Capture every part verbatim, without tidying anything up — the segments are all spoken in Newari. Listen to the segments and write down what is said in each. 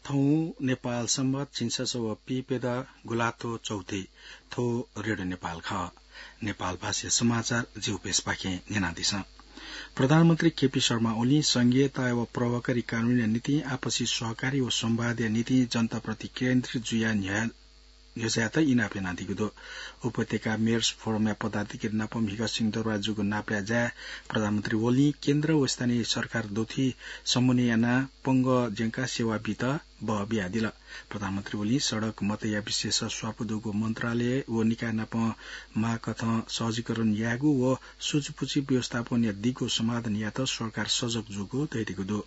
थौं नेपाल संवत झिंछसः व पीप्यदँ गुंलाथ्व चौथि। थ्व रेडियो नेपाल खः। नेपाल भाषाया समाचार जिगु पेजपाखें न्यनादिसँ। प्रधानमन्त्री केपी शर्मा ओलीं संघीयता व प्रभावकारी कानूनया निंतिं आपसी सहकारी व संवादया निंतिं जनताप्रति केन्द्रित जुयाः न्ह्यः न्ह्यज्यायेत इनाप यानादीगु दु। उपत्यका मेयर्स फोरमया पदाधिकारी नाप म्हिगः सिंहदरबार जूगु नापया ज्याय् प्रधानमन्त्री ओलीं केन्द्र व स्थानीय सरकार दुथुइ समन्वय यानाः पंगः ज्यंकाः सेवा बीत बः बियादिल। प्रधानमन्त्री ओलीं सडक मतया विषयय् स्वापू दुगु मन्त्रालय व निकाय नाप माःकथं सहजीकरण यायेगु व सुचुपुचि व्यवस्थापनया दिगो समाधान यायेत सरकार सजग जूगु धयादीगु दु।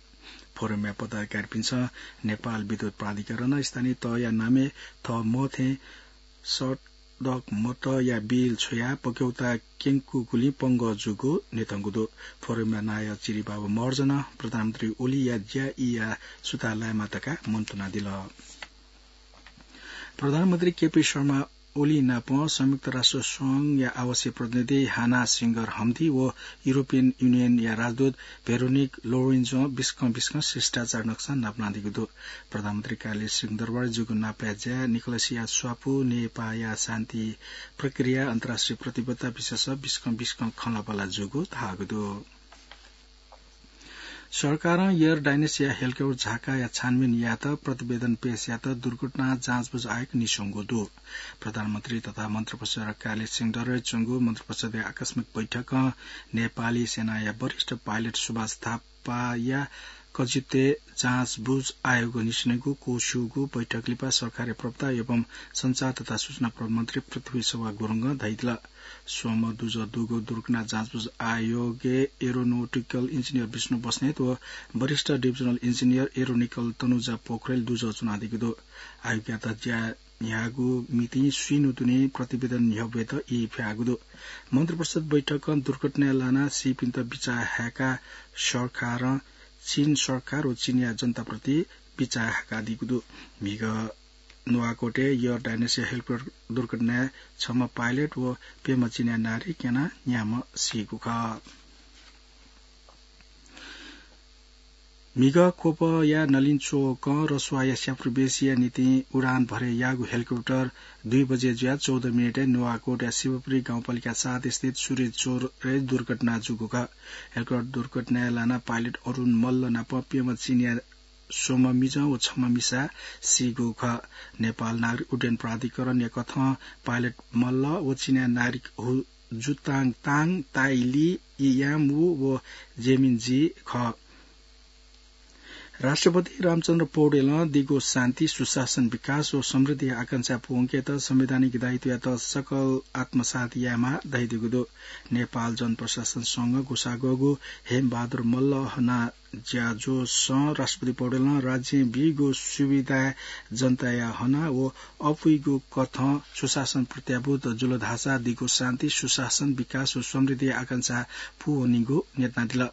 फोरमया पदाधिकारीपिन्सं नेपाल विद्युत प्राधिकरणं स्थानीय तहया नामय् थः मथें सडक मतया बिल छ्वयाः पक्यौता क्यंकूगुलिं पंगः जूगु न्ह्यथंगु दु। फोरमया नायः चिरिबाबु महर्जनं प्रधानमन्त्री ओलीया ज्या ईया सुथां लायेमा धकाः मन्तुनादिल। प्रधानमन्त्री केपी शर्मा ओली नाप संयुक्त राष्ट्र संघया आवासीय प्रतिनिधि हाना सिंगर हमदी व युरोपियन युनियनया राजदूत भेरोनिक लोरेन्जों बिस्कं बिस्कं शिष्टाचार नक्सा नापनादीगु दु। प्रधानमन्त्री कार्यालय सिंहदरबार जूगु नापया ज्याय् निकोलसया स्वापू नेपाःया शान्ति प्रक्रिया अन्तर्राष्ट्रिय प्रतिबद्धता विषयय् बिस्कं बिस्कं खँल्हाबल्हा जूगु धाःगु दु। सरकारं एयर डाइनोसया हेलिकप्टर झाकाया छानबिन यायेत प्रतिवेदन पेश यायेत दुर्घटना जाँचबुझ आयोग निस्वंगु दु। प्रधानमन्त्री तथा मन्त्रिपरिषद कार्यालय सिंहदरबारय् च्वंगु मन्त्रिपरिषदया आकस्मिक बैठकं नेपाली सेनाया वरिष्ठ पाइलट सुभाष थापाया कजित्वय् जाँचबुझ आयोग निस्वनेगु क्वस्यूगु बैठक लिपा सरकारया प्रवक्ता एवं सञ्चार तथा सूचना प्रविधि मन्त्री पृथ्वी शोभा गुरुङं धयादिल। स्वम्ह दुजः दुगु दुर्घटना जाँचबुझ आयोगय् एरोनोटिकल इन्जिनियर विष्णु बस्नेत व वरिष्ठ डिभिजनल इन्जिनियर एरोनोटिकल तनुजा पोखरेल दुजः च्वनादीगु दु। आयोगयात ज्या न्ह्याःगु मितिं स्वीन्हु दुने प्रतिवेदन न्ह्यब्वयेत ई फ्याःगु दु। मन्त्रिपरिषद बैठकं दुर्घटनाय् लानाः सीपिन्त बिचाः हाय्काः सरकारं चीन सरकार व चीनया जनताप्रति बिचाः हाय्कादीगु दु। म्हिगः नुवाकोटय् एयर डाइनोसया हेलिकप्टर दुर्घटनाय् छम्ह पाइलट व प्यम्ह चीनया नागरिक यानाः न्याम्ह सीगु खः। म्हिगः ख्वपया नलिन च्वकं रसुवाया स्यापुरु बेसीया निंतिं उडान भरे याःगु हेलिकप्टर दुई बजे जुयाः चौध मिनेटय् नुवाकोटया शिवपुरी गाउँपालिका सात स्थित सूर्य चोरय् दुर्घटना जूगु खः। हेलिकप्टर दुर्घटनाय् लानाः पाइलट अरुण मल्ल नाप प्यम्ह चीनया स्वम्ह मिजं व छम्ह मिसा सीगु खः। नेपाल नागरिक उड्डयन प्राधिकरणया कथं पाइलट मल्ल व चीनया नागरिक हु जुताङ ताङ, ताइली, इयाम वु व जेमिन जी खः। राष्ट्रपति रामचन्द्र पौडेलं दिगो शान्ति, सुशासन, विकास व समृद्धिया आकांक्षा पूवंकेत संवैधानिक दायित्वयात सकल आत्मसात यायेमाः धयादीगु दु। नेपाल जनप्रशासन संघ गुसागःगु हेमबहादुर मल्ल हना ज्याझ्वलय् राष्ट्रपति पौडेलं राज्यं बीगु सुविधाय् जनताया हना व अपुइगु कथं सुशासन प्रत्याभूत जुल धाःसा दिगो शान्ति, सुशासन, विकास व समृद्धिया आकांक्षा पूवनीगु न्यनादिल।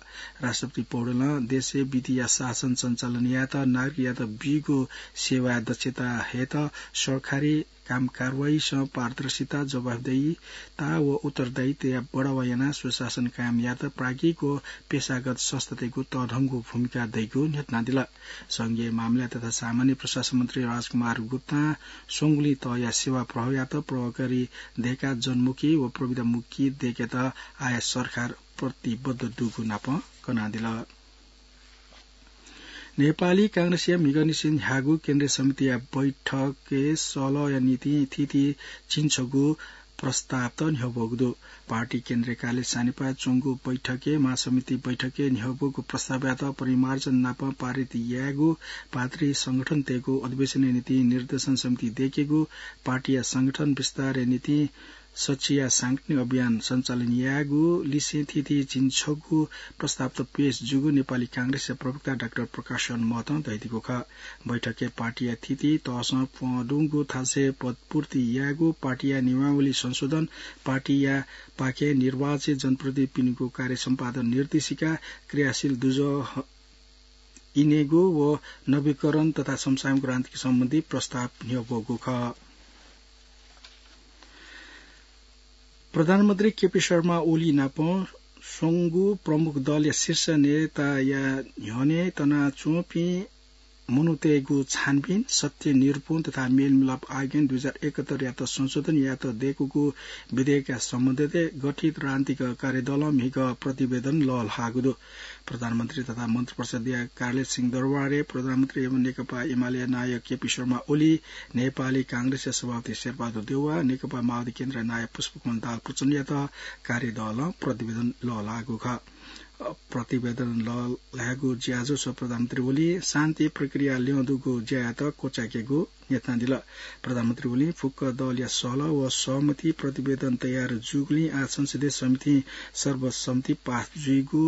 राष्ट्रपति पौडेलं देशय् विधिया शासन सञ्चालन यायेत नागरिकयात बीगु सेवाय् दक्षता हयेत सरकारी काम कारवाहीसं पारदर्शिता, जवाफदेहिता व उत्तरदायित्वया बढावा यानाः सुशासन कायम यायेत प्राज्ञिक व पेशागत संस्थातय्गु तःधंगु भूमिका दइगु न्ह्यथनादिल। संघीय मामिला तथा सामान्य प्रशासन मन्त्री राजकुमार गुप्तां स्वंगुलिं तःया सेवा प्रभावयात प्रभावकारी दयेकाः जनमुखी व प्रविधामुखी दयेकेत आः सरकार प्रतिबद्ध दुगु नाप कनादिल। नेपाली कांग्रेसया म्हिगःनिसें न्ह्याःगु केन्द्रीय समितिया बैठकय् सल्लाहया निंतिं थीथी झिंछगू प्रस्तावत न्ह्यब्वःगु दु। पार्टी केन्द्रीय कार्यालय सानिपाय् च्वंगु बैठकय् महासमिति बैठकय् न्ह्यब्वःगु प्रस्तावयात परिमार्जन नाप पारित यायेगु, पार्टी संगठनतय्गु अधिवेशनया निंतिं निर्देशन समिति दयेकेगु, पार्टीया संगठन विस्तारया निंतिं सच्चिया सांगठनिक अभियान सञ्चालन यायेगु लिसें थीथी झिंछगू प्रस्तावत पेश जूगु नेपाली कांग्रेसया प्रवक्ता डाक्टर प्रकाश महतं धयादीगु खः। बैठकय् पार्टीया थीथी तहसं प्वंदुगु थासय् पदपूर्ति यायेगु, पार्टीया नियमावली संशोधन, पार्टीया पाखें निर्वाचित जनप्रतिनिधिपिनिगु कार्य सम्पादन निर्देशिका, क्रियाशील दुजः इनेगु व नवीकरण तथा समसामयिक राजनीति सम्बन्धी प्रस्ताव न्ह्यब्वःगु खः। प्रधानमन्त्री केपी शर्मा ओली नाप स्वंगू प्रमुख दलया शीर्ष नेताया न्ह्यःने तनाच्वंपिं मनूतय्गु छानबिन, सत्य निरूपण तथा मेलमिलाप आयोगय् दुई हजार एकहत्तरयात संशोधन यात दय्कूगु विधेयकया सम्बन्धय् गठित राजनीतिक कार्यदलं म्हिगः प्रतिवेदन लःल्हाःगु दु। प्रधानमन्त्री तथा मन्त्रिपरिषदया कार्यालय सिंहदरबारय् प्रधानमन्त्री एवं नेकपा एमालेया नायः केपी शर्मा ओली, नेपाली कांग्रेसया सभापति शेरबहादुर देउवा, नेकपा माओवादी केन्द्रया नायः पुष्पकमल दाहाल प्रचण्डयात कार्यदलं प्रतिवेदन लःल्हाःगु खः। अ, प्रतिवेदन लःल्हायेगु ज्याझ्वः प्रधानमन्त्री ओलीं शान्ति प्रक्रिया ल्यं दुगु ज्यायात क्वचायेकेगु न्ह्यथनादिल। प्रधानमन्त्री ओलीं फुक्क दलया सहलह व सहमति प्रतिवेदन तयार जूगुलिं आः संसदीय समितिं सर्वसम्मति पास जुइगु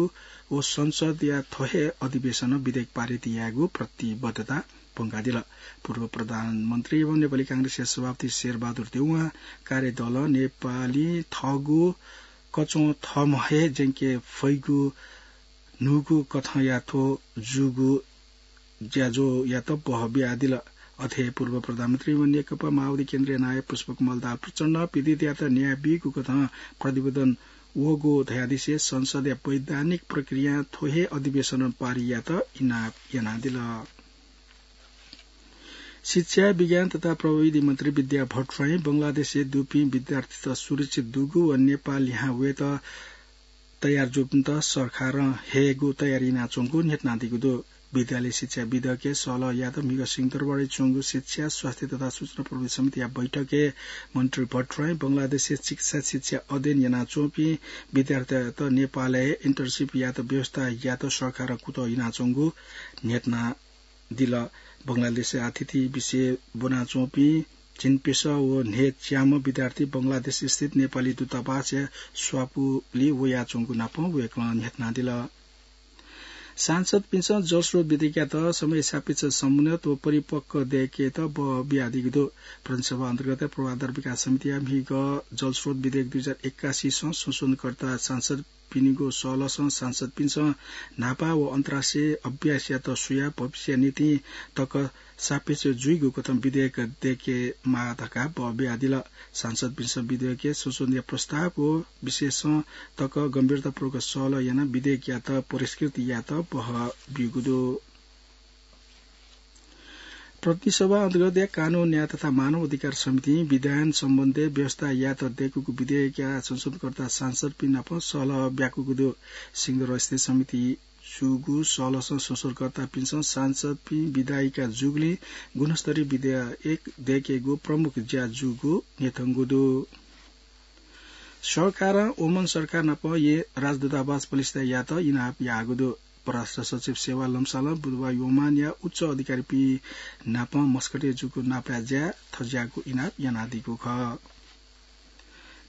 व संसदया थ्व हे अधिवेशनं विधेयक पारित यायेगु प्रतिबद्धता प्वंकादिल। पूर्व प्रधानमन्त्री एवं नेपाली कांग्रेसया सभापति शेरबहादुर देउवां कार्यदलं नेपाली थःगु कच्वं थःम्हं हे ज्यंके फइगु न्हूगु कथंया थ्व जूगु ज्याझ्वःयात बह बियादिल। अथे पूर्व प्रधानमन्त्री व नेकपा माओवादी केन्द्रया नायः पुष्पकमल दाहाल प्रचण्डं पीडितयात न्याय बीगु कथं प्रतिवेदन वःगु धयादिसे संसदया वैधानिक प्रक्रियां थ्व हे अधिवेशनं पारित यायेत इनाप यानादिल। शिक्षा, विज्ञान तथा प्रविधि मन्त्री विद्या भट्टराईं बंगलादेशय् दुपिं विद्यार्थीत सुरक्षित दुगु व नेपाल लिहां वयेत तयार जूपिन्त सरकारं हयेगु तयारी यानाच्वंगु न्ह्यथनादीगु दु। विद्यालय शिक्षा विधेयकय् सहलह यायेत म्हिगः सिंहदरबारय् च्वंगु शिक्षा, स्वास्थ्य तथा सूचना प्रविधि समितिया बैठकय् मन्त्री भट्टराईं बंगलादेशय् चिकित्सा शिक्षा अध्ययन यानाच्वंपिं विद्यार्थीत नेपालय् internship यायेत व्यवस्था यायेत सरकारं कुतः यानाच्वंगु न्ह्यथना दिल। बंगलादेशय् आथिति विषय ब्वनाच्वंपिं झिंप्यसः व न्हय्च्याम्ह विद्यार्थी बंगलादेश स्थित नेपाली दूतावासया स्वापुलय् वयाच्वंगु नापं वय्कलं न्ह्यथनादिल। सांसदपिन्सं जलस्रोत विधेयकयात समय सापेक्ष, समुन्नत व परिपक्व दय्केत बह बियादीगु दु। प्रतिनिधि सभा अन्तर्गत पूर्वाधार विकास समितिया म्हिगः जलस्रोत विधेयक दुई हजार एकासीसं संशोधनकर्ता सांसद पिनिगु सहलहसं सांसदपिन्सं न्हापा व अन्तर्राष्ट्रिय अभ्यासयात स्वयाः भविष्यया निंतिं तक सापेक्ष जुइगु कथं विधेयक दय्केमाः धकाः बह बियादिल। सांसदपिन्सं विधेयकय् संशोधनया प्रस्ताव व विषयसं तक गम्भीरतापूर्वक सहलह यानाः विधेयकयात परिष्कृत यायेत बह ब्यूगु दु। प्रतिनिधि सभा अन्तर्गतया कानून, न्याय तथा मानव अधिकार समितिं विधायन सम्बन्धय् व्यवस्था यायेत दय्कूगु विधेयकया संशोधनकर्ता सांसदपिं नाप सहलह ब्याकूगु दु। सिंहदरबार स्थित समिति जूगु सहलहसं संशोधनकर्तापिन्सं सांसदपिं विधायिका जूगुलिं गुणस्तरीय विधेयक दय्केगु प्रमुख ज्या जूगु न्ह्यथंगु दु। सरकारं ओमान सरकार नाप येँ राजदूतावास प्रतिष्ठा यायेत इनाप याःगु दु। परराष्ट्र सचिव सेवा लम्सालं बुधबार ओमानया उच्च अधिकारीपिं नाप मस्कटय् जूगु नापया ज्याय् थज्याःगु इनाप यानादीगु खः।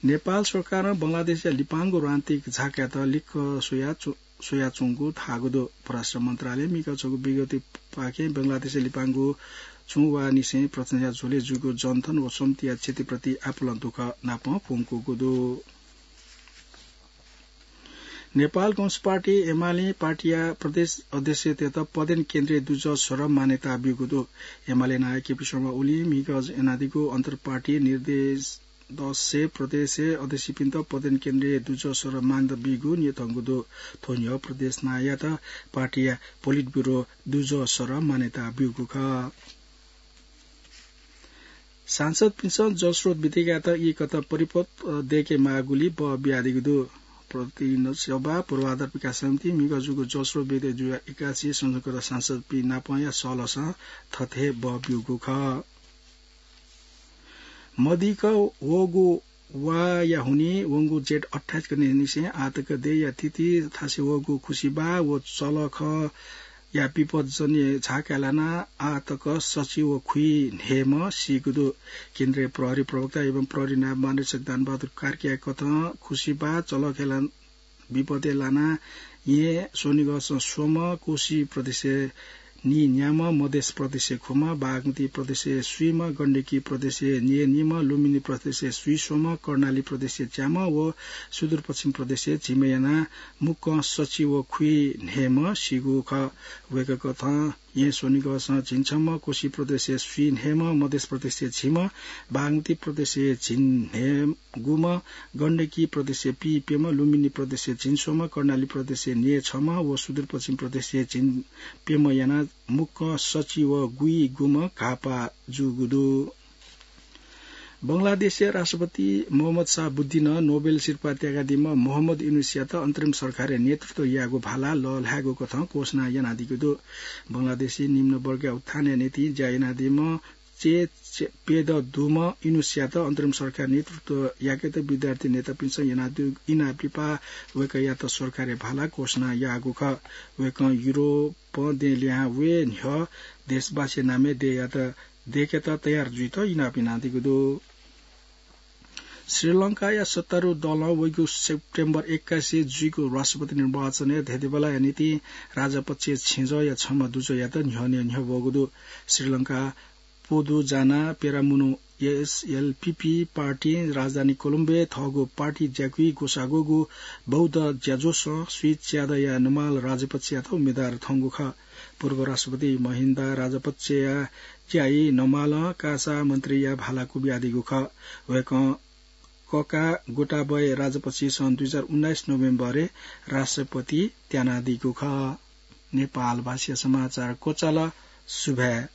नेपाल सरकारं बंगलादेशया लिपांगु राजनीतिक झाकायात लिक्क स्वया च्व-, स्वयाच्वंगु धाःगु दु। परराष्ट्र मन्त्रालयं म्हिगः छगू विज्ञप्तिपाखें बंगलादेशया लिपांगु च्वंवाःनिसें प्रचण्डया झ्वलय् जूगु जन्थन व सम्पत्तिया क्षतिप्रति आपालं दुःख नाप प्वंकूगु दु। नेपाल कम्युनिस्ट पार्टी एमालें पार्टीया प्रदेश अध्यक्षतेत पदेन केन्द्रीय दुजः सदर मान्यता ब्यूगु दु। एमाले नायः केपी शर्मा ओलीं म्हिगः यानादीगु अन्तर्पार्टी निर्देश दसय् प्रदेशय् अध्यक्षपिन्त पदेन केन्द्रीय दुजः सदर मान्यता बीगु न्ह्यथंगु दु। थ्व न्ह्यः प्रदेश नायःयात पार्टीया पोलिट ब्यूरो दुजः सदर मान्यता ब्यूगु खः। सांसदपिन्सं जलस्रोत विधेयकयात ई कथं परिपक्व दय्केमाःगुलिं बह बियादीगु दु। प्रतिनिधि सभा पूर्वाधार विकास समितिं म्हिगः जूगु जलस्रोत विधेयक दुई हजार एकासी संशोधनकर्ता सांसदपिं नापंया सहलहसं थथे बह ब्यूगु खः। मदिक्क वःगु वाया हुनिं वंगु जेठ अट्ठाइस गतेनिसें आःतक देय्या थिति थासय् वःगु खुसिबाः व चलखया विपदजन्य झाकाय् लानाः आःतक सछि व खुइन्हय्म्ह सीगु दु। केन्द्रीय प्रहरी प्रवक्ता एवं प्रहरी नायब महानिरीक्षक दानबहादुर कार्कीया कथं खुसिबाः चलखय् ला-, विपदय् लानाः येँ स्वनिगःसं स्वम्ह, कोशी प्रदेशय् नीन्याम्ह, मधेस प्रदेशय् खुम्ह, बागमती प्रदेशय् स्वीम्ह, गण्डकी प्रदेशय् न्येनीम्ह, लुम्बिनी प्रदेशय् स्वीस्वम्ह, कर्णाली प्रदेशय् च्याम्ह व सुदूरपश्चिम प्रदेशय् झिम्ह यानाः मुक्कं सछि व खुइन्हय्म्ह सीगु खः। वय्कः कथं येँ स्वनिगःसं झिंछम्ह, कोशी प्रदेशय् स्वीन्हय्म्ह, मधेस प्रदेशय् झिम्ह, बागमती प्रदेशय् झिंन्हय्गुम्ह, गण्डकी प्रदेशय् पीप्यम्ह, लुम्बिनी प्रदेशय् झिंस्वम्ह, कर्णाली प्रदेशय् न्यय्छम्ह व सुदूरपश्चिम प्रदेशय् झिंप्यम्ह यानाः मुक्कं सच्छि व गुइगुम्ह घाःपाः जूगु दु। बंगलादेशया राष्ट्रपति मोहम्मद शाह बुद्धिनं नोबेल सिरपाः त्याकादीम्ह मोहम्मद युनुसयात अन्तरिम सरकारया नेतृत्व यायेगु भाला लःल्हायेगु कथं घोषणा यानादीगु दु। बंगलादेशय् निम्न वर्गया उत्थानया निंतिं ज्या यानादीम्ह चे, चे, पेद दुम्ह युनुसयात अन्तरिम सरकार नेतृत्व याकेत विद्यार्थी नेतापिन्सं यानादीगु इनाप लिपा वय्कःयात सरकारया भाला घोषणा याःगु खः। वय्कलं युरोपं देय् लिहां वये न्ह्यः देशवासीया नामय् देय्‌यात दय्‌केत तयार जुइत इनाप यानादीगु दु। श्रीलंकाया सत्तारूढ दलं वइगु सेप्टेम्बर एक्काइसय् जुइगु राष्ट्रपति निर्वाचनय् धेंधेंबल्लाया निंतिं राजपक्षया छेँजःया छम्ह दुजःयात न्ह्यःने न्ह्यब्वःगु दु। श्रीलंका पोदुजाना पेरामुनु एसएलपीपी पार्टीं राजधानी कोलम्बोय् थःगु पार्टी ज्याकुइ ग्वसाः ग्वःगु बौद्ध ज्याझ्वलं श्री च्यादया नमाल राजपक्षयात उम्मेदवार थंगु खः। पूर्व राष्ट्रपति महिन्दा राजपक्षया ज्याइ नमालं कासा मन्त्रीया भाला क्वबियादीगु खः। वय्कलं कका गोटाबय राजपक्षसं दुई हजार उन्नाइस नोभेम्बरय् राष्ट्रपति त्यानादीगु खः। नेपाल भाषाया समाचार क्वचाल। सुभाय्।